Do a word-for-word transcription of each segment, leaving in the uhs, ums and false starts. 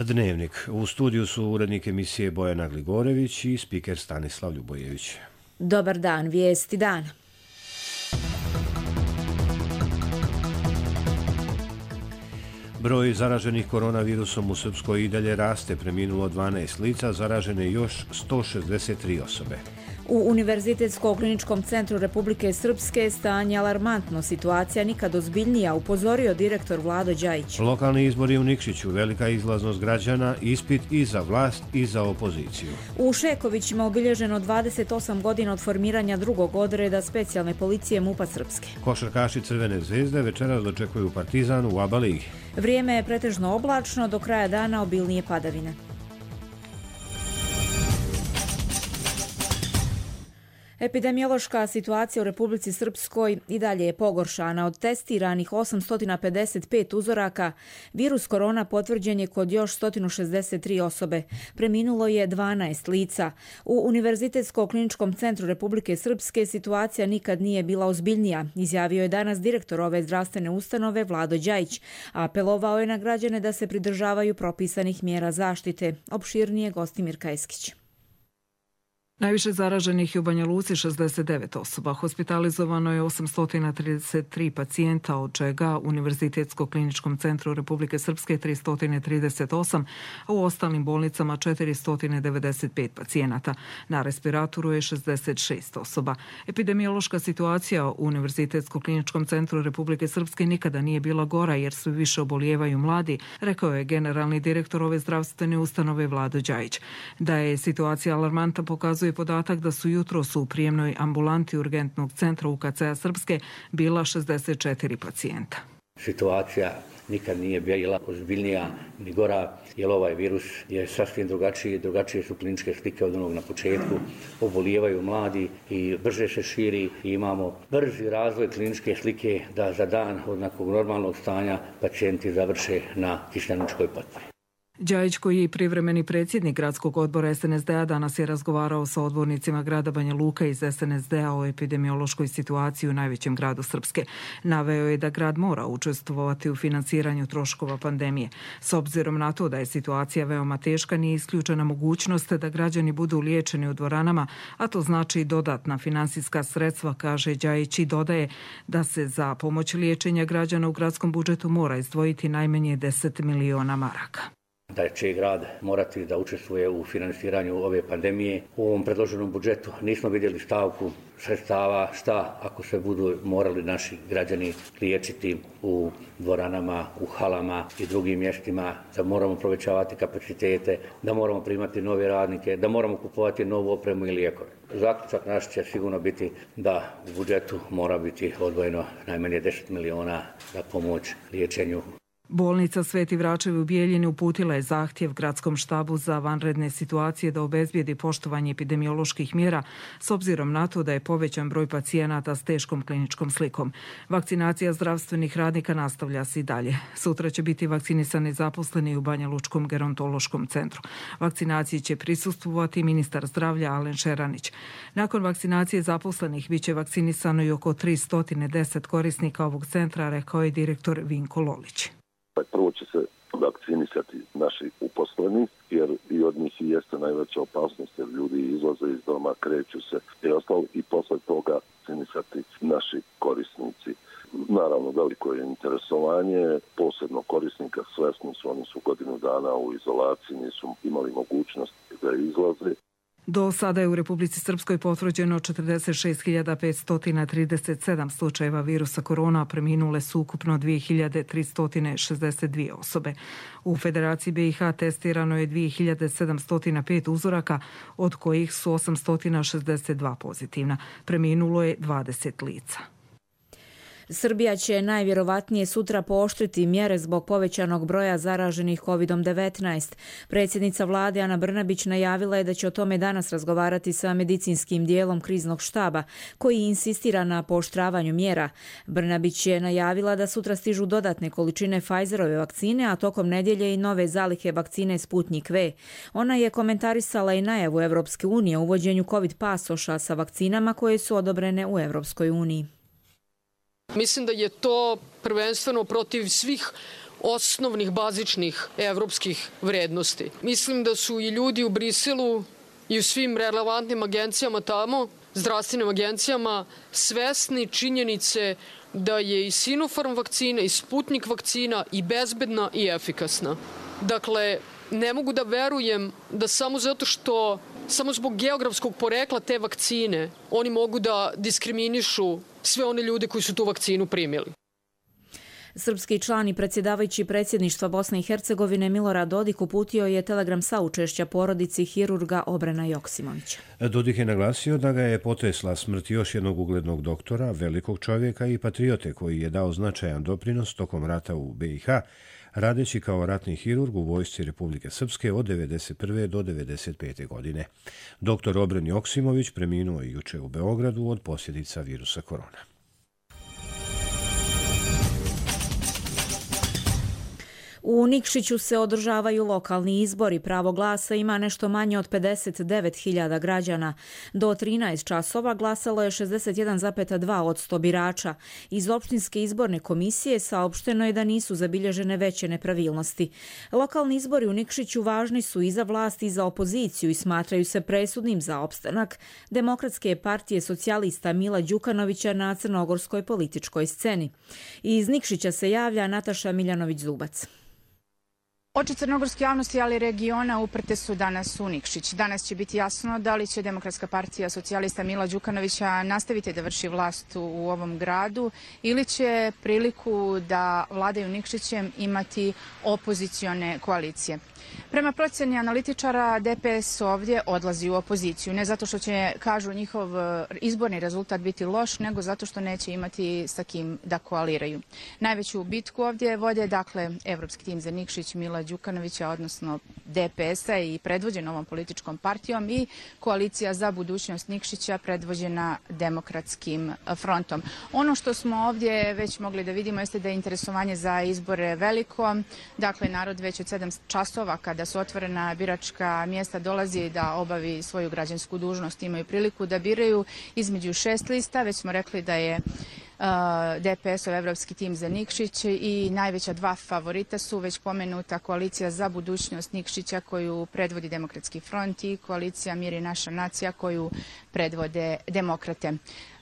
Dnevnik. U studiju su urednik emisije Bojana Gligorević i spiker Stanislav Ljubojević. Dobar dan, vijesti dana. Broj zaraženih koronavirusom u Srpskoj i dalje raste, preminulo dvanaest lica, zaražene još sto šezdeset tri osobe. U Univerzitetsko-kliničkom centru Republike Srpske stanje alarmantno, situacija nikad ozbiljnija, upozorio direktor Vlado Đajić. Lokalni izbori u Nikšiću, velika izlaznost građana, ispit i za vlast i za opoziciju. U Šekovićima obilježeno dvadeset osam godina od formiranja drugog odreda specijalne policije MUP-a Srpske. Košarkaši Crvene zvezde večeras dočekuju Partizan u ABA ligi. Vrijeme je pretežno oblačno, do kraja dana obilnije padavine. Epidemiološka situacija u Republici Srpskoj i dalje je pogoršana. Od testiranih osamsto pedeset pet uzoraka, virus korona potvrđen je kod još sto šezdeset tri osobe. Preminulo je dvanaest lica. U Univerzitetsko-kliničkom centru Republike Srpske situacija nikad nije bila ozbiljnija, izjavio je danas direktor ove zdravstvene ustanove Vlado Đajić. Apelovao je na građane da se pridržavaju propisanih mjera zaštite. Opširnije Gostimir Kajskić. Najviše zaraženih je u Banja Luci šezdeset devet osoba. Hospitalizovano je osamsto trideset tri pacijenta, od čega u Univerzitetsko-kliničkom centru Republike Srpske tristo trideset osam, a u ostalim bolnicama četiristo devedeset pet pacijenata. Na respiratoru je šezdeset šest osoba. Epidemiološka situacija u Univerzitetsko-kliničkom centru Republike Srpske nikada nije bila gora jer sve više obolijevaju mladi, rekao je generalni direktor ove zdravstvene ustanove Vlado Đajić. Da je situacija alarmantna pokazuje podatak da su jutros u prijemnoj ambulanti urgentnog centra U K C-a Srpske bila šezdeset četiri pacijenta. Situacija nikad nije bila ozbiljnija ni gora, jer ovaj virus je sasvim drugačiji, drugačije su kliničke slike od onog na početku, obolijevaju mladi i brže se širi i imamo brzi razvoj kliničke slike da za dan od nekog normalnog stanja pacijenti završe na kišljaničkoj patvi. Đajić, koji je privremeni predsjednik gradskog odbora S N S D-a, danas je razgovarao sa odbornicima grada Banja Luka iz S N S D-a o epidemiološkoj situaciji u najvećem gradu Srpske. Naveo je da grad mora učestvovati u financiranju troškova pandemije. S obzirom na to da je situacija veoma teška, nije isključena mogućnost da građani budu liječeni u dvoranama, a to znači dodatna finansijska sredstva, kaže Đajić, i dodaje da se za pomoć liječenja građana u gradskom budžetu mora izdvojiti najmanje deset miliona maraka. Da će grad morati da učestvuje u finansiranju ove pandemije. U ovom predloženom budžetu nismo vidjeli stavku sredstava šta ako se budu morali naši građani liječiti u dvoranama, u halama i drugim mjestima, da moramo povećavati kapacitete, da moramo primati nove radnike, da moramo kupovati novu opremu i lijekove. Zaključak naš će sigurno biti da u budžetu mora biti odvojeno najmanje deset miliona za pomoć liječenju. Bolnica Sveti Vračevi u Bijeljini uputila je zahtjev gradskom štabu za vanredne situacije da obezbijedi poštovanje epidemioloških mjera s obzirom na to da je povećan broj pacijenata s teškom kliničkom slikom. Vakcinacija zdravstvenih radnika nastavlja se i dalje. Sutra će biti vakcinisani zaposleni u Banja Lučkom gerontološkom centru. Vakcinaciji će prisustvovati ministar zdravlja Alen Šeranić. Nakon vakcinacije zaposlenih biće vakcinisano i oko tristo deset korisnika ovog centra, rekao je direktor Vinko Lolić. Prvo će se vakcinisati naši uposleni, jer i od njih i jeste najveća opasnost, jer ljudi izlaze iz doma, kreću se i ostalo, i posle toga vakcinisati naši korisnici. Naravno, veliko je interesovanje, posebno korisnika, svesni su, oni su godinu dana u izolaciji, nisu imali mogućnost da izlaze. Do sada je u Republici Srpskoj potvrđeno četrdeset šest hiljada petsto trideset sedam slučajeva virusa korona, preminule su ukupno dvije hiljade tristo šezdeset dvije osobe. U Federaciji B i H testirano je dvije hiljade sedamsto pet uzoraka, od kojih su osamsto šezdeset dva pozitivna. Preminulo je dvadeset lica. Srbija će najvjerovatnije sutra pooštriti mjere zbog povećanog broja zaraženih kovid devetnaest. Predsjednica vlade Ana Brnabić najavila je da će o tome danas razgovarati sa medicinskim dijelom kriznog štaba, koji insistira na pooštravanju mjera. Brnabić je najavila da sutra stižu dodatne količine Pfizerove vakcine, a tokom nedjelje i nove zalihe vakcine Sputnik V. Ona je komentarisala i najavu Evropske unije o uvođenju covid pasoša sa vakcinama koje su odobrene u Evropskoj uniji. Mislim da je to prvenstveno protiv svih osnovnih, bazičnih evropskih vrednosti. Mislim da su i ljudi u Briselu i u svim relevantnim agencijama tamo, zdravstvenim agencijama, svesni činjenice da je i Sinopharm vakcina i Sputnik vakcina i bezbedna i efikasna. Dakle, ne mogu da verujem da samo zato što, samo zbog geografskog porekla te vakcine, oni mogu da diskriminišu sve one ljude koji su tu vakcinu primili. Srpski član i predsjedavajući predsjedništva Bosne i Hercegovine Milorad Dodik uputio je telegram saučešća porodici hirurga Obrena Joksimovića. Dodik je naglasio da ga je potresla smrt još jednog uglednog doktora, velikog čovjeka i patriote koji je dao značajan doprinos tokom rata u B i H, radeći kao ratni hirurg u vojsci Republike Srpske od devedeset prve do devedeset pete godine. Doktor Obren Joksimović preminuo je juče u Beogradu od posljedica virusa korona. U Nikšiću se održavaju lokalni izbori. Pravo glasa ima nešto manje od pedeset devet hiljada građana. Do trinaest časova glasalo je šezdeset jedan zarez dva posto birača. Iz opštinske izborne komisije saopšteno je da nisu zabilježene veće nepravilnosti. Lokalni izbori u Nikšiću važni su i za vlast i za opoziciju i smatraju se presudnim za opstanak Demokratske partije socijalista Mila Đukanovića na crnogorskoj političkoj sceni. Iz Nikšića se javlja Nataša Miljanović-Zubac. Oči crnogorske javnosti, ali regiona uprte su danas u Nikšić. Danas će biti jasno da li će Demokratska partija socijalista Mila Đukanovića nastaviti da vrši vlast u ovom gradu ili će priliku da vladaju Nikšićem imati opozicione koalicije. Prema procjeni analitičara, D P S ovdje odlazi u opoziciju. Ne zato što će, kažu, njihov izborni rezultat biti loš, nego zato što neće imati sa kim da koaliraju. Najveću bitku ovdje vode, dakle, Evropski tim za Nikšić Mila Đukanovića, odnosno D P S-a i predvođen ovom političkom partijom i koalicija za budućnost Nikšića predvođena Demokratskim frontom. Ono što smo ovdje već mogli da vidimo jeste da je interesovanje za izbore veliko. Dakle, narod već od sedam časova kada su otvorena biračka mjesta dolazi da obavi svoju građansku dužnost, imaju priliku da biraju između šest lista. Već smo rekli da je D P S-ov Evropski tim za Nikšić i najveća dva favorita su već pomenuta koalicija za budućnost Nikšića koju predvodi Demokratski front i koalicija Mir i naša nacija koju predvode demokrate.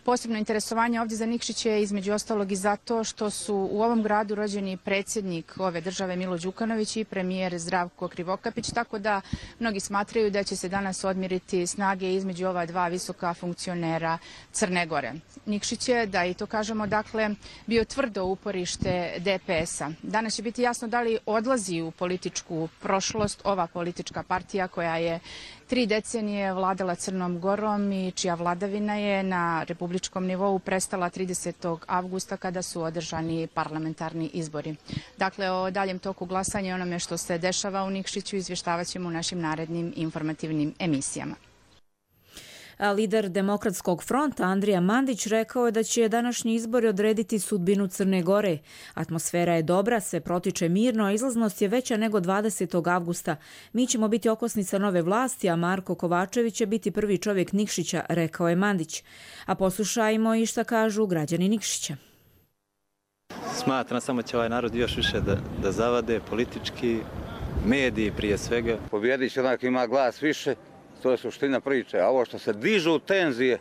Posebno interesovanje ovdje za Nikšić je između ostalog i zato što su u ovom gradu rođeni predsjednik ove države Milo Đukanović i premijer Zdravko Krivokapić, tako da mnogi smatraju da će se danas odmiriti snage između ova dva visoka funkcionera Crne Gore. Nikšić je, da i to kažemo, dakle, bio tvrdo uporište D P S-a. Danas će biti jasno da li odlazi u političku prošlost ova politička partija koja je tri decenije vladala Crnom Gorom i čija vladavina je na republičkom nivou prestala tridesetog avgusta kada su održani parlamentarni izbori. Dakle, o daljem toku glasanja i onome što se dešava u Nikšiću izvještavat ćemo u našim narednim informativnim emisijama. Lider Demokratskog fronta Andrija Mandić rekao je da će današnji izbori odrediti sudbinu Crne Gore. Atmosfera je dobra, sve protiče mirno, a izlaznost je veća nego dvadesetog avgusta. Mi ćemo biti okosnica nove vlasti, a Marko Kovačević će biti prvi čovjek Nikšića, rekao je Mandić. A poslušajmo i šta kažu građani Nikšića. Smatram samo će ovaj narod još više da, da zavade politički, mediji prije svega. Pobjedit će onak ima glas više. To je suština priče, a ovo što se dižu tenzije,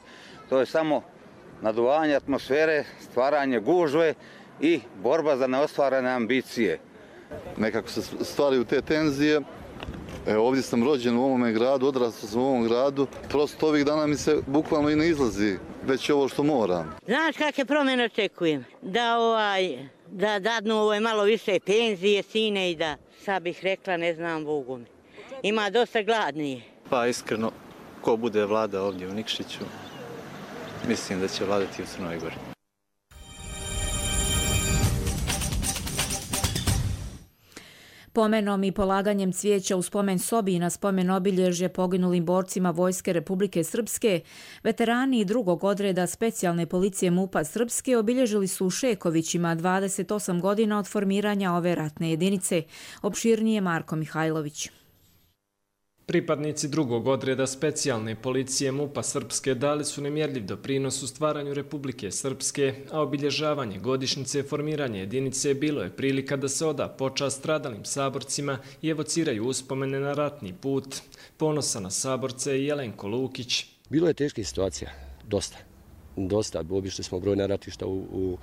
to je samo naduvanje atmosfere, stvaranje gužve i borba za neostvarene ambicije. Nekako se stvaraju te tenzije. E, ovdje sam rođen u ovome gradu, odrastao sam u ovom gradu. Prosto ovih dana mi se bukvalno i ne izlazi, već ovo što moram. Znaš kakve promjene očekujem? Da, ovaj, da dadnu ovaj malo više penzije, sine i da, sad bih rekla, ne znam Bogu mi. Ima dosta gladnije. Pa iskreno, ko bude vlada ovdje u Nikšiću, mislim da će vladati u Crnoj Gori. Pomenom i polaganjem cvijeća u spomen sobi i na spomen obilježje poginulim borcima Vojske Republike Srpske, veterani i drugog odreda specijalne policije MUP-a Srpske obilježili su u Šekovićima dvadeset osam godina od formiranja ove ratne jedinice. Opširnije Marko Mihajlović. Pripadnici drugog odreda specijalne policije MUP-a Srpske dali su nemjerljiv doprinos u stvaranju Republike Srpske, a obilježavanje godišnjice formiranja jedinice bilo je prilika da se oda počast stradalim saborcima i evociraju uspomene na ratni put. Ponosa na saborce je Jelenko Lukić. Bilo je teških situacija, dosta. Dosta, obišli smo brojna ratišta u, u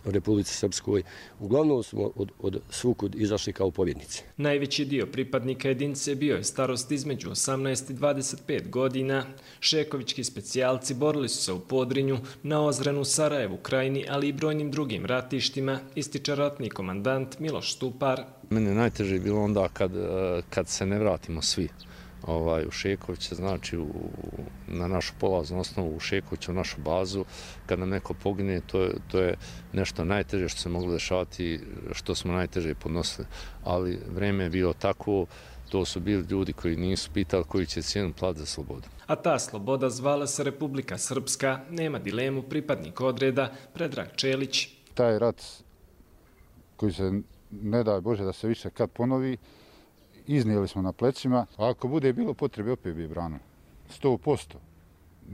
Republici Srpskoj. Uglavnom smo od, od svukud izašli kao pobjednici. Najveći dio pripadnika jedinice bio je starost između osamnaest i dvadeset pet godina. Šekovički specijalci borili su se u Podrinju, na Ozrenu, Sarajevu, Krajini, ali i brojnim drugim ratištima, ističe ratni komandant Miloš Stupar. Mene najteže je bilo onda kad, kad se ne vratimo svi. Ovaj, u Šekoviće, znači u, na našu polaznu osnovu u Šekoviće, u našu bazu, kad nam neko pogine, to je, to je nešto najteže što se moglo dešavati, što smo najteže podnosili. Ali vreme je bilo tako, to su bili ljudi koji nisu pitali koji će cijenu platiti za slobodu. A ta sloboda zvala se Republika Srpska, nema dilemu, pripadnik odreda Predrag Čelić. Taj rat koji se ne daj Bože da se više kad ponovi, iznijeli smo na plecima, a ako bude bilo potrebe, opet bi branili. sto posto.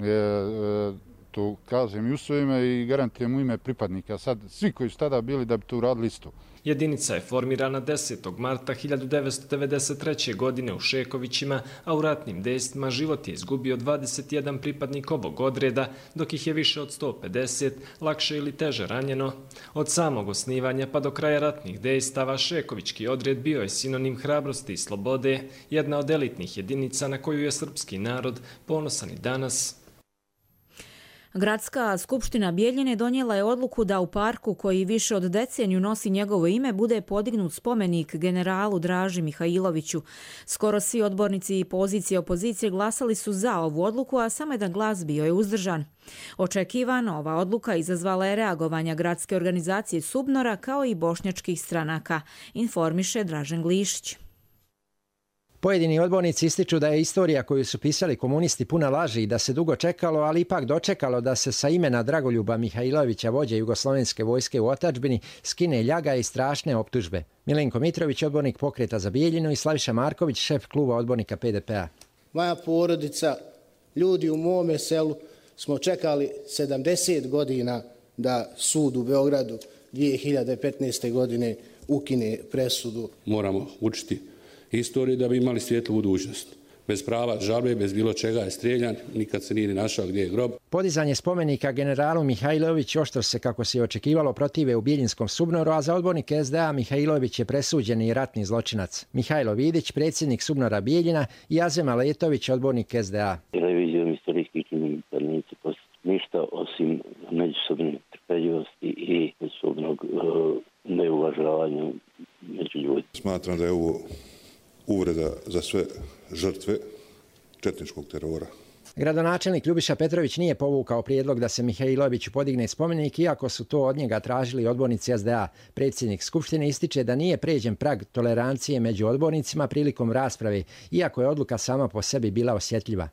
E, e, to kažem i u svoje ime i garantujem u ime pripadnika. Sad, svi koji su tada bili da bi to uradili isto. Jedinica je formirana desetog marta hiljadu devetsto devedeset treće. godine u Šekovićima, a u ratnim dejstvima život je izgubio dvadeset jedan pripadnik ovog odreda, dok ih je više od sto pedeset lakše ili teže ranjeno. Od samog osnivanja pa do kraja ratnih dejstava Šekovićki odred bio je sinonim hrabrosti i slobode, jedna od elitnih jedinica na koju je srpski narod ponosan i danas. Gradska skupština Bijeljine donijela je odluku da u parku koji više od deceniju nosi njegovo ime bude podignut spomenik generalu Draži Mihajloviću. Skoro svi odbornici i pozicije opozicije glasali su za ovu odluku, a samo jedan glas bio je uzdržan. Očekivano, ova odluka izazvala je reagovanja gradske organizacije Subnora kao i bošnjačkih stranaka, informiše Dražen Glišić. Pojedini odbornici ističu da je istorija koju su pisali komunisti puna laži i da se dugo čekalo, ali ipak dočekalo da se sa imena Dragoljuba Mihajlovića, vođe jugoslovenske vojske u otadžbini, skine ljaga i strašne optužbe. Milenko Mitrović, odbornik Pokreta za Bijeljinu, i Slaviša Marković, šef kluba odbornika P D P-a. Moja porodica, ljudi u mome selu smo čekali sedamdeset godina da sud u Beogradu dvije hiljade petnaeste. godine ukine presudu. Moramo učiti istoriju da bi imali svijetlu budućnost. Bez prava žalbe, bez bilo čega je strijeljan, nikad se nije našao gdje je grob. Podizanje spomenika generalu Mihajlović oštro se, kako se očekivalo, protive u Biljinskom Subnoru, a za odbornike S D A Mihajlović je presuđeni ratni zločinac. Mihajlo Vidić, predsjednik Subnora Bijeljina, i Azem Aletović, odbornik S D A. Revizijom istorijskih činjenica neće postati ništa osim međusobne trpeljivosti i međusobnog uh, neuvažavanja među ljudi. Smatram da je ovo uvreda za sve žrtve četničkog terora. Gradonačelnik Ljubiša Petrović nije povukao prijedlog da se Mihajloviću podigne spomenik, iako su to od njega tražili odbornici S D A. Predsjednik Skupštine ističe da nije pređen prag tolerancije među odbornicima prilikom rasprave, iako je odluka sama po sebi bila osjetljiva.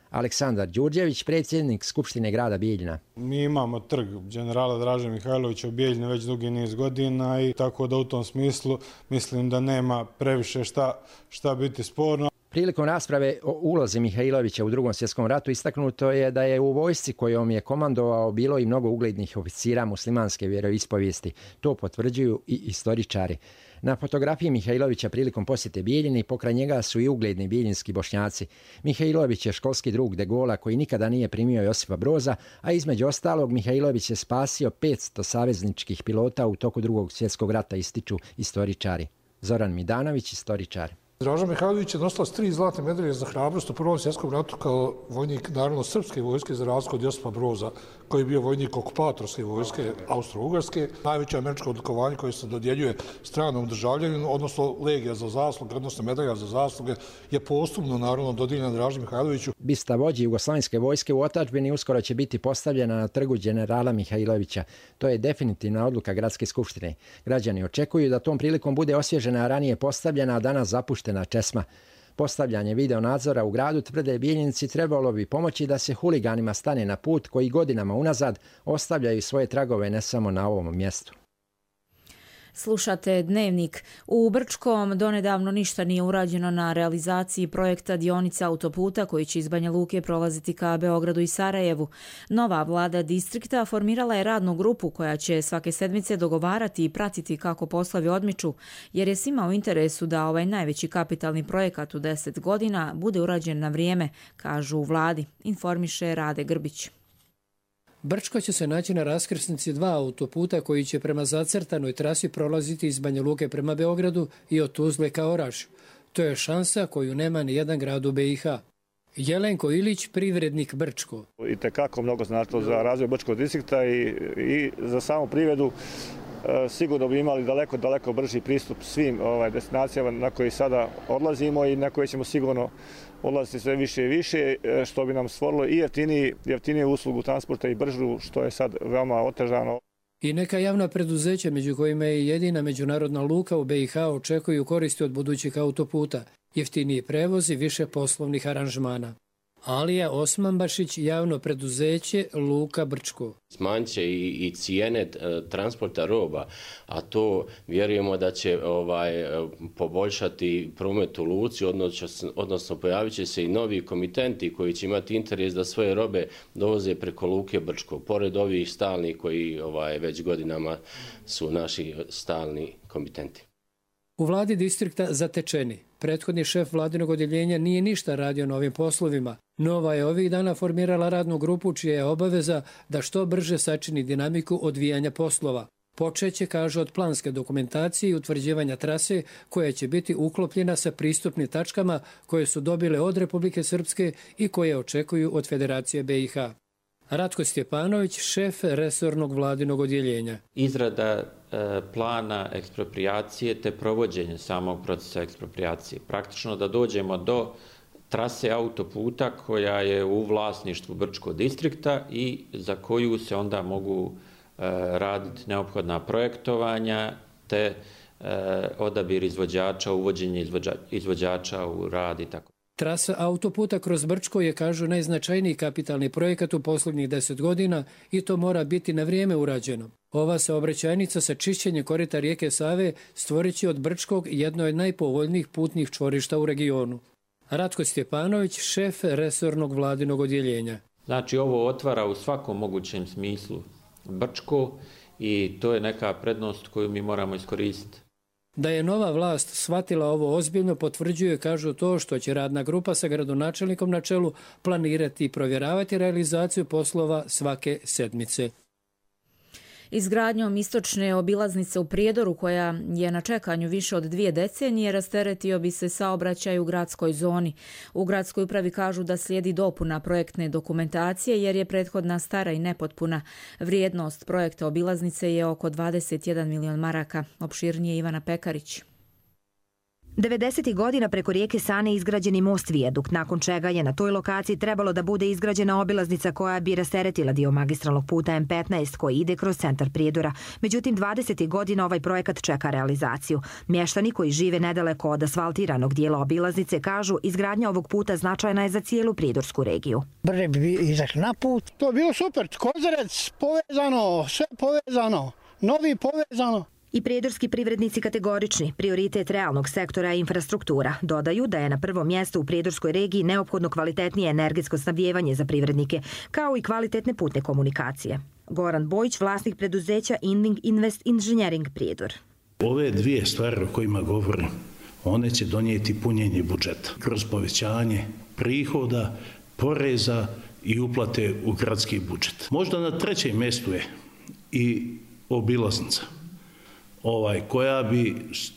Aleksandar Đurđević, predsjednik Skupštine grada Bijeljina. Mi imamo trg generala Draže Mihajlovića u Bijeljini već dugi niz godina i tako da u tom smislu mislim da nema previše šta, šta biti sporno. Prilikom rasprave o ulozi Mihajlovića u Drugom svjetskom ratu istaknuto je da je u vojsci kojom je komandovao bilo i mnogo uglednih oficira muslimanske vjeroispovijesti. To potvrđuju i istoričari. Na fotografiji Mihajlovića prilikom posjete Bijeljini pokraj njega su i ugledni bijeljinski Bošnjaci. Mihajlović je školski drug De Gaulea koji nikada nije primio Josipa Broza, a između ostalog Mihajlović je spasio petsto savezničkih pilota u toku Drugog svjetskog rata, ističu istoričari. Zoran Midanović, istoričar. Draža Mihajlović je nosilac tri zlatne medalje za hrabrost u Prvom svjetskom ratu kao vojnik narodno-srpske vojske za razliku od Josipa Broza, koji je bio vojnik okupatorske vojske Austro-Ugarske. Najveće američko odlikovanje koje se dodjeljuje stranom državljaninu, odnosno legija za zasluge, odnosno medalja za zasluge, je posthumno naravno dodijeljena Draži Mihajloviću. Bista vođi jugoslovenske vojske u otadžbini uskoro će biti postavljena na trgu generala Mihajlovića. To je definitivna odluka Gradske skupštine. Građani očekuju da tom prilikom bude osvježena ranije postavljena, a danas zapuštena česma. Postavljanje videonadzora u gradu, tvrde Bijeljinci, trebalo bi pomoći da se huliganima stane na put koji godinama unazad ostavljaju svoje tragove ne samo na ovom mjestu. Slušate Dnevnik. U Brčkom donedavno ništa nije urađeno na realizaciji projekta dionice autoputa koji će iz Banja Luke prolaziti ka Beogradu i Sarajevu. Nova vlada distrikta formirala je radnu grupu koja će svake sedmice dogovarati i pratiti kako poslovi odmiču, jer je svima u interesu da ovaj najveći kapitalni projekat u deset godina bude urađen na vrijeme, kažu u vladi, informiše Rade Grbić. Brčko će se naći na raskrsnici dva autoputa koji će prema zacrtanoj trasi prolaziti iz Banja Luke prema Beogradu i od Tuzle ka Orašju. To je šansa koju nema ni jedan grad u be i ha. Jelenko Ilić, privrednik Brčko. I tekako mnogo značilo za razvoj Brčkog distrikta i, i za samu privredu. E, sigurno bi imali daleko, daleko brži pristup svim ovaj, destinacijama na koje sada odlazimo i na koje ćemo sigurno odlaziti sve više i više, što bi nam stvorilo i jeftiniji, jeftiniju uslugu transporta i bržu, što je sad veoma otežano. I neka javna preduzeća, među kojima je jedina međunarodna luka u be i ha, očekuju koristi od budućih autoputa, jeftiniji prevoz i više poslovnih aranžmana. Alija Osmanbašić, javno preduzeće Luka Brčko. Smanjit će i, i cijene e, transporta roba, a to vjerujemo da će ovaj, poboljšati promet u luci, odnosno, odnosno pojavit će se i novi komitenti koji će imati interes da svoje robe dovoze preko Luke Brčko, pored ovih stalnih koji ovaj, već godinama su naši stalni komitenti. U vladi distrikta zatečeni. Prethodni šef vladinog odjeljenja nije ništa radio na ovim poslovima. Nova je ovih dana formirala radnu grupu čija je obaveza da što brže sačini dinamiku odvijanja poslova. Počeće, kaže, od planske dokumentacije i utvrđivanja trase koja će biti uklopljena sa pristupnim tačkama koje su dobile od Republike Srpske i koje očekuju od Federacije be i ha. Ratko Stjepanović, šef resornog vladinog odjeljenja. Izrada e, plana eksproprijacije te provođenje samog procesa eksproprijacije. Praktično da dođemo do trase autoputa koja je u vlasništvu Brčkog distrikta i za koju se onda mogu e, raditi neophodna projektovanja te e, odabir izvođača, uvođenje izvođa, izvođača u rad i tako. Trasa autoputa kroz Brčko je, kažu, najznačajniji kapitalni projekat u posljednjih deset godina i to mora biti na vrijeme urađeno. Ova saobraćajnica sa čišćenjem korita rijeke Save stvorit će od Brčkog jedno od najpovoljnijih putnih čvorišta u regionu. Ratko Stjepanović, šef resornog vladinog odjeljenja. Znači, ovo otvara u svakom mogućem smislu Brčko i to je neka prednost koju mi moramo iskoristiti. Da je nova vlast shvatila ovo ozbiljno potvrđuje, kažu, to što će radna grupa sa gradonačelnikom na čelu planirati i provjeravati realizaciju poslova svake sedmice. Izgradnjom istočne obilaznice u Prijedoru, koja je na čekanju više od dvije decenije, rasteretio bi se saobraćaj u gradskoj zoni. U gradskoj upravi kažu da slijedi dopuna projektne dokumentacije jer je prethodna stara i nepotpuna. Vrijednost projekta obilaznice je oko dvadeset jedan milion maraka. Opširnije Ivana Pekarić. devedesetih godina preko rijeke Sane izgrađeni most vijadukt, nakon čega je na toj lokaciji trebalo da bude izgrađena obilaznica koja bi rasteretila dio magistralnog puta em petnaest koji ide kroz centar Prijedora. Međutim, dvadesetih godina ovaj projekat čeka realizaciju. Mještani koji žive nedaleko od asfaltiranog dijela obilaznice kažu izgradnja ovog puta značajna je za cijelu prijedorsku regiju. Brže bi izašli na put. To je bilo super. Kozarec povezano, sve povezano, novi povezano. I prijedorski privrednici kategorični, prioritet realnog sektora je infrastruktura. Dodaju da je na prvom mjestu u prijedorskoj regiji neophodno kvalitetnije energetsko snabdijevanje za privrednike, kao i kvalitetne putne komunikacije. Goran Bojić, vlasnik preduzeća Inding Invest Engineering Prijedor. Ove dvije stvari o kojima govorim, one će donijeti punjenje budžeta kroz povećanje prihoda, poreza i uplate u gradski budžet. Možda na trećem mjestu je i obilaznica. Ovaj, koja, bi,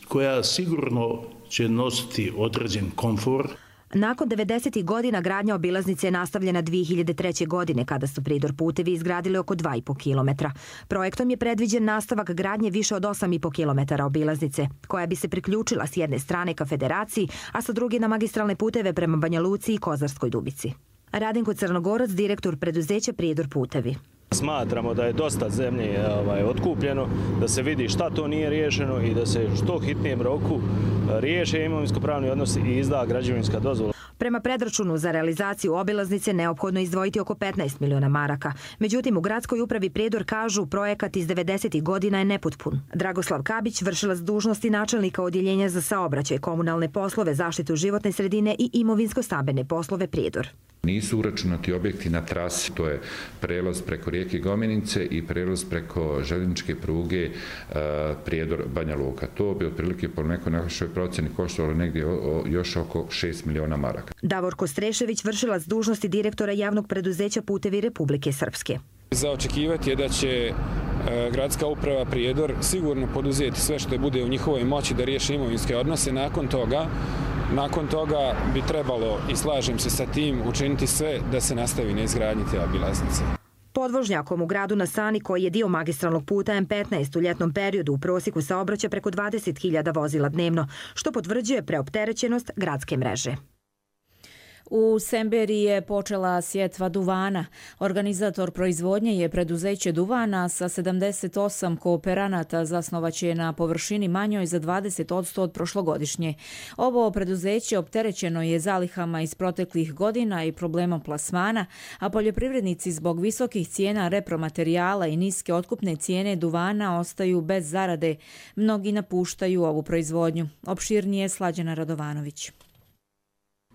koja sigurno će nositi određen komfor. Nakon devedesetih godina gradnja obilaznice je nastavljena dvije hiljade treće. godine kada su Prijedor putevi izgradili oko dva i po kilometra. Projektom je predviđen nastavak gradnje više od osam i po kilometara obilaznice, koja bi se priključila s jedne strane ka Federaciji, a sa druge na magistralne puteve prema Banja Luci i Kozarskoj Dubici. Radenko Crnogorac, direktor preduzeća Prijedor putevi. Smatramo da je dosta zemlje ovaj, otkupljeno, da se vidi šta to nije riješeno i da se što hitnijem roku riješe imovinsko-pravni odnos i izda građevinska dozvola. Prema predračunu za realizaciju obilaznice neophodno izdvojiti oko petnaest miliona maraka. Međutim, u gradskoj upravi Prijedor kažu projekat iz devedesetih godina je nepotpun. Dragoslav Kabić, vršilac dužnosti načelnika odjeljenja za saobraćaj, komunalne poslove, zaštitu životne sredine i imovinsko-stambene poslove Prijedor. Nisu uračunati objekti na trasi, to je prelaz preko rijeke Gomenice i prelaz preko željezničke pruge Prijedor Banja Luka. To bi otprilike po nekoj našoj procjeni koštalo negdje još oko šest miliona maraka. Davorko Strešević, vršilac dužnosti direktora javnog preduzeća Putevi Republike Srpske. Za očekivati je da će gradska uprava Prijedor sigurno poduzeti sve što bude u njihovoj moći da riješi imovinske odnose. Nakon toga Nakon toga bi trebalo, i slažem se sa tim, učiniti sve da se nastavi na izgradnji te obilaznice. Podvožnjakom u gradu na Sani, koji je dio magistralnog puta M petnaest, u ljetnom periodu u prosjeku saobraća preko dvadeset hiljada vozila dnevno, što potvrđuje preopterećenost gradske mreže. U Semberiji je počela sjetva duvana. Organizator proizvodnje je preduzeće duvana sa sedamdeset osam kooperanata, zasnovaće na površini manjoj za dvadeset posto od prošlogodišnje. Ovo preduzeće opterećeno je zalihama iz proteklih godina i problemom plasmana, a poljoprivrednici zbog visokih cijena repromaterijala i niske otkupne cijene duvana ostaju bez zarade. Mnogi napuštaju ovu proizvodnju. Opširnije Slađana Radovanović.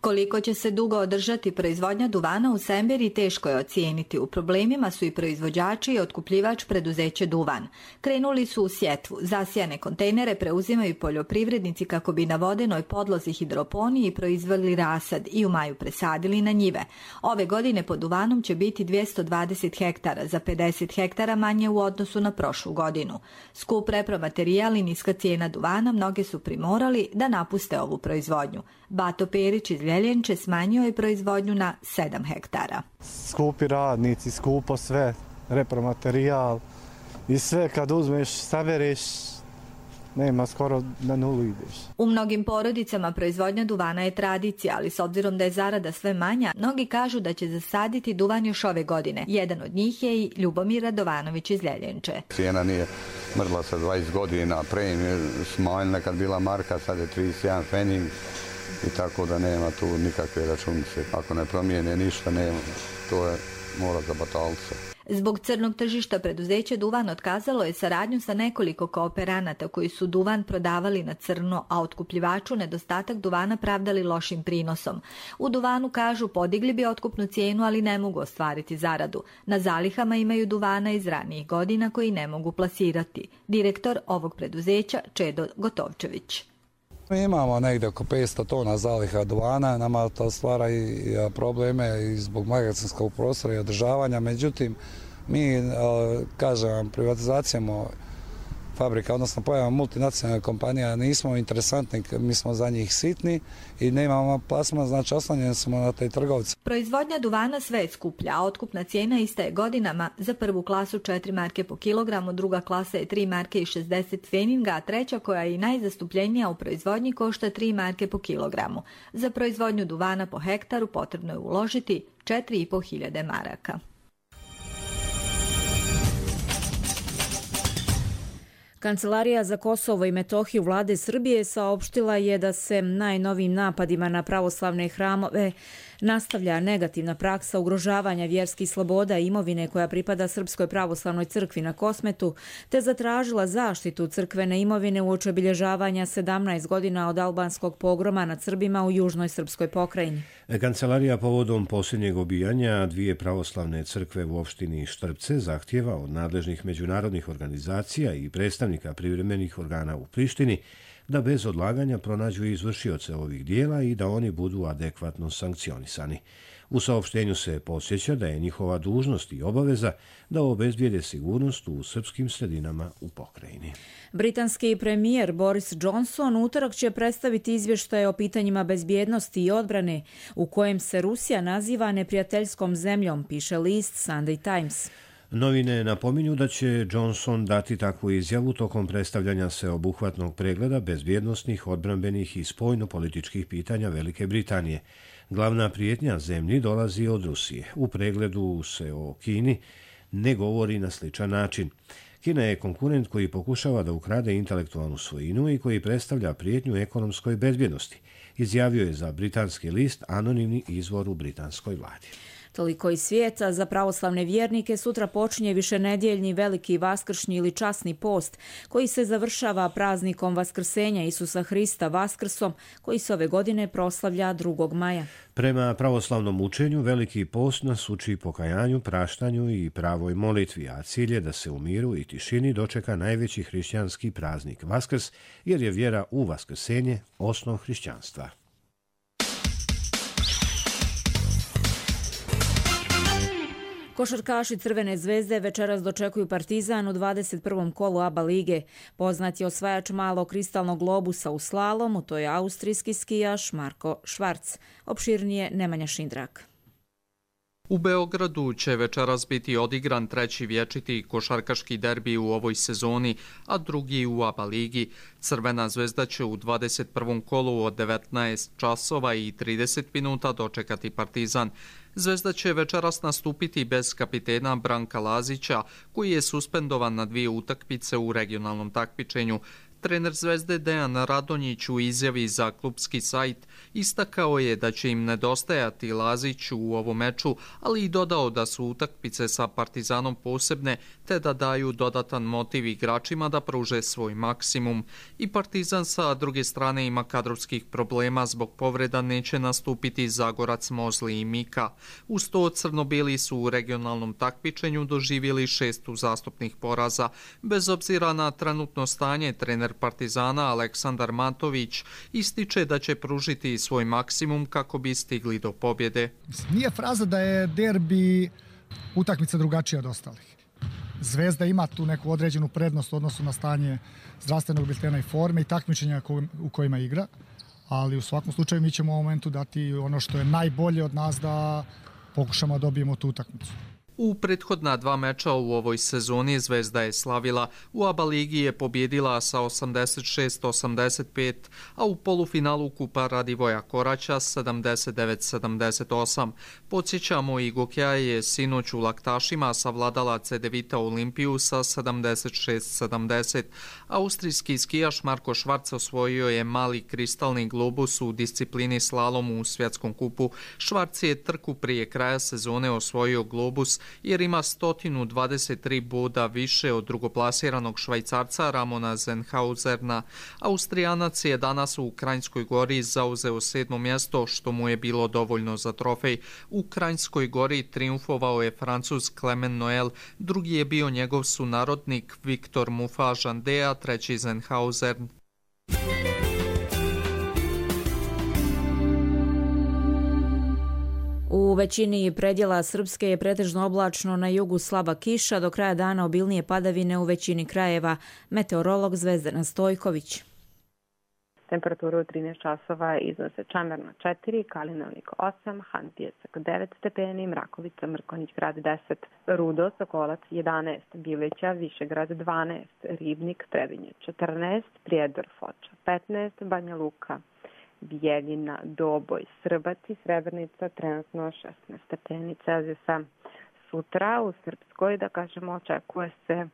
Koliko će se dugo održati proizvodnja duvana u Semberiji teško je ocijeniti. U problemima su i proizvođači i otkupljivač preduzeće Duvan. Krenuli su u sjetvu. Zasijane kontejnere preuzimaju poljoprivrednici kako bi na vodenoj podlozi hidroponiji proizveli rasad i u maju presadili na njive. Ove godine pod duvanom će biti dvjesto dvadeset hektara, za pedeset hektara manje u odnosu na prošlu godinu. Skup repromaterijal i niska cijena duvana mnoge su primorali da napuste ovu proizvodnju. Bato Perić iz Ljeljenče smanjio je proizvodnju na sedam hektara. Skupi radnici, skupo sve, repromaterijal i sve kad uzmeš, sabereš, nema, skoro na nulu ideš. U mnogim porodicama proizvodnja duvana je tradicija, ali s obzirom da je zarada sve manja, mnogi kažu da će zasaditi duvan još ove godine. Jedan od njih je i Ljubomir Radovanović iz Ljeljenče. Cijena nije mrla sa dvadeset godina, premije smanjena kad bila marka, sad je trideset jedan fening. I tako da nema tu nikakve računice. Ako ne promijene ništa, nema. To je mora za batalce. Zbog crnog tržišta preduzeće Duvan otkazalo je saradnju sa nekoliko kooperanata koji su duvan prodavali na crno, a otkupljivaču nedostatak duvana pravdali lošim prinosom. U Duvanu kažu podigli bi otkupnu cijenu, ali ne mogu ostvariti zaradu. Na zalihama imaju duvana iz ranijih godina koji ne mogu plasirati. Direktor ovog preduzeća Čedo Gotovčević. Mi imamo negdje oko petsto tona zaliha duvana, nama to stvara i probleme i zbog magacinskog prostora i održavanja, međutim mi, kažem vam, privatizacijom fabrika, odnosno pojavom multinacionalnih kompanija nismo interesantni, mi smo za njih sitni i nemamo plasman, znači oslanjeni smo na te trgovce. Proizvodnja duvana sve je skuplja, a otkupna cijena ista je godinama. Za prvu klasu četiri marke po kilogramu, druga klasa je tri marke i šezdeset feninga, a treća, koja je i najzastupljenija u proizvodnji, košta tri marke po kilogramu. Za proizvodnju duvana po hektaru potrebno je uložiti četiri i po hiljade maraka. Kancelarija za Kosovo i Metohiju vlade Srbije saopštila je da se najnovijim napadima na pravoslavne hramove nastavlja negativna praksa ugrožavanja vjerskih sloboda i imovine koja pripada Srpskoj pravoslavnoj crkvi na Kosmetu, te zatražila zaštitu crkvene imovine uoči obilježavanja sedamnaest godina od albanskog pogroma nad Srbima u južnoj srpskoj pokrajini. Kancelarija povodom posljednjeg obijanja dvije pravoslavne crkve u opštini Štrpce zahtjeva od nadležnih međunarodnih organizacija i predstavnika privremenih organa u Prištini da bez odlaganja pronađu izvršioce ovih dijela i da oni budu adekvatno sankcionisani. U saopštenju se podsjeća da je njihova dužnost i obaveza da obezbijede sigurnost u srpskim sredinama u pokrajini. Britanski premijer Boris Johnson utorak će predstaviti izvještaje o pitanjima bezbjednosti i odbrane, u kojem se Rusija naziva neprijateljskom zemljom, piše list Sunday Times. Novine napominju da će Johnson dati takvu izjavu tokom predstavljanja sveobuhvatnog pregleda bezbjednosnih, odbrambenih i spoljno-političkih pitanja Velike Britanije. Glavna prijetnja zemlji dolazi od Rusije. U pregledu se o Kini ne govori na sličan način. Kina je konkurent koji pokušava da ukrade intelektualnu svojinu i koji predstavlja prijetnju ekonomskoj bezbjednosti. izjavio je za britanski list anonimni izvor u britanskoj vladi. Toliko iz svijeta. Za pravoslavne vjernike sutra počinje višenedjeljni veliki vaskršnji ili časni post koji se završava praznikom Vaskrsenja Isusa Hrista Vaskrsom koji se ove godine proslavlja drugog maja. Prema pravoslavnom učenju veliki post nas uči pokajanju, praštanju i pravoj molitvi, a cilj je da se u miru i tišini dočeka najveći hrišćanski praznik Vaskrs, jer je vjera u vaskrsenje osnov hrišćanstva. Košarkaši Crvene zvezde večeras dočekuju Partizan u dvadeset prvom kolu A B A lige. Poznat je osvajač malog kristalnog globusa u slalomu, to je austrijski skijaš Marko Švarc. Opširnije Nemanja Šindrak. U Beogradu će večeras biti odigran treći vječiti košarkaški derbi u ovoj sezoni, a drugi u A B A ligi. Crvena zvezda će u dvadeset prvom kolu od devetnaest časova i trideset minuta dočekati Partizan. Zvezda će večeras nastupiti bez kapitena Branka Lazića, koji je suspendovan na dvije utakmice u regionalnom takmičenju. Trener Zvezde Dejan Radonjić u izjavi za klubski sajt istakao je da će im nedostajati Lazić u ovom meču, ali i dodao da su utakmice sa Partizanom posebne, te da daju dodatan motiv igračima da pruže svoj maksimum. I Partizan sa druge strane ima kadrovskih problema, zbog povreda neće nastupiti Zagorac, Mozli i Mika. Uz to crno-bili su u regionalnom takmičenju doživjeli šest uzastopnih poraza. Bez obzira na trenutno stanje, trener Partizana Aleksandar Matović ističe da će pružiti svoj maksimum kako bi stigli do pobjede. Nije fraza da je derbi utakmica drugačija od ostalih. Zvezda ima tu neku određenu prednost u odnosu na stanje zdravstvenog biltena i forme i takmičenja u kojima igra, ali u svakom slučaju mi ćemo u momentu dati ono što je najbolje od nas da pokušamo da dobijemo tu utakmicu. U prethodna dva meča u ovoj sezoni Zvezda je slavila. U A B A ligi je pobjedila sa osamdeset šest osamdeset pet, a u polufinalu Kupa Radivoja Koraća sedamdeset devet sedamdeset osam. Podsjećamo, i Gokja je sinoć u Laktašima savladala Cedevita Olimpiju sa sedamdeset šest sedamdeset. Austrijski skijaš Marko Švarc osvojio je mali kristalni globus u disciplini slalom u svjetskom kupu. Švarc je trku prije kraja sezone osvojio globus jer ima sto dvadeset tri boda više od drugoplasiranog Švajcarca Ramona Zenhauzerna. Austrijanac je danas u Kranjskoj Gori zauzeo sedmo mjesto, što mu je bilo dovoljno za trofej. U Kranjskoj Gori triumfovao je Francuz Clement Noel, drugi je bio njegov sunarodnik Viktor Mufa-Žandea, treći Zenhauzern. U većini predjela Srpske je pretežno oblačno, na jugu slaba kiša, do kraja dana obilnije padavine u većini krajeva. Meteorolog Zvezdana Stojković. Temperaturu od trinaest časova iznose Čamerna četiri, Kalinovnik osam, Hantijesak devet stepeni, Mrakovica, Mrkonjić grad deset, Rudo, Sokolac jedanaest, Bileća, Višegrad dvanaest, Ribnik, Trebinje četrnaest, Prijedor, Foča petnaest, Banja Luka, Bijeljina, Doboj, Srbac i Srebrnica trenutno šesnaest stepeni Celzijusa. Sutra u Srpskoj, da kažemo, očekuje se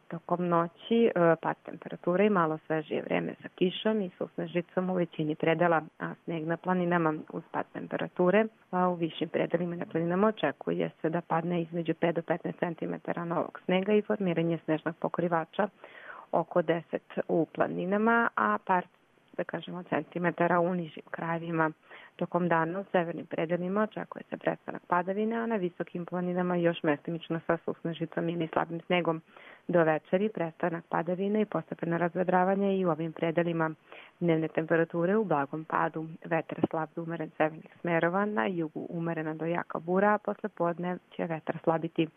tokom noći pad temperature i malo svežije vreme sa kišom i susnežicom u većini predela, a sneg na planinama uz pad temperature, a u višim predelima na planinama očekuje se da padne između pet do petnaest centimetara novog snega i formiranje snežnog pokrivača oko deset u planinama, a par da kažemo centimetara u nižim krajevima. Tokom dana u severnim predelima očekuje se prestanak padavina, a na visokim planinama još mestimično sa susnežicom ili slabim snegom. Do večeri prestanak padavina i postepeno razvedravanje i u ovim predelima. Dnevne temperature u blagom padu. Vetar slab do umeren severnih smerova, na jugu umerena do jaka bura, a posle podne će vetar slabiti.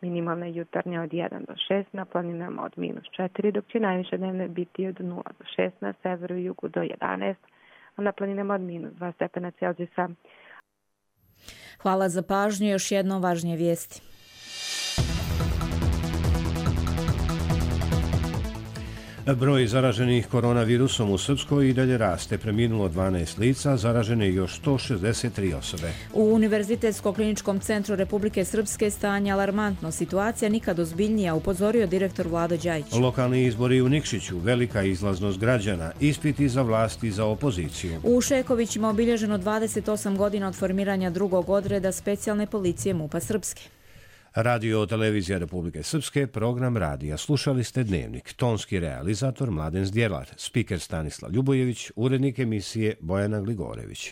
Minimalne jutarnje od jedan do šest, na planinama od minus četiri, dok će najviše dnevne biti od nula do šest, na severu i jugu do jedanaest, a na planinama od minus dva stepena Celzijusa. Hvala za pažnju, još jedno važnije vijesti. Broj zaraženih koronavirusom u Srpskoj i dalje raste. Preminulo dvanaest lica, zaražene još sto šezdeset tri osobe. U Univerzitetsko-kliničkom centru Republike Srpske stanje alarmantno. Situacija nikad ozbiljnija, upozorio direktor Vlado Đajić. Lokalni izbori u Nikšiću, velika izlaznost građana, ispiti za vlast i za opoziciju. U Šekovićima obilježeno dvadeset osam godina od formiranja drugog odreda specijalne policije MUP-a Srpske. Radio televizija Republike Srpske, program radija. Slušali ste Dnevnik. Tonski realizator Mladen Zdjelar, spiker Stanislav Ljubojević, urednik emisije Bojana Gligorević.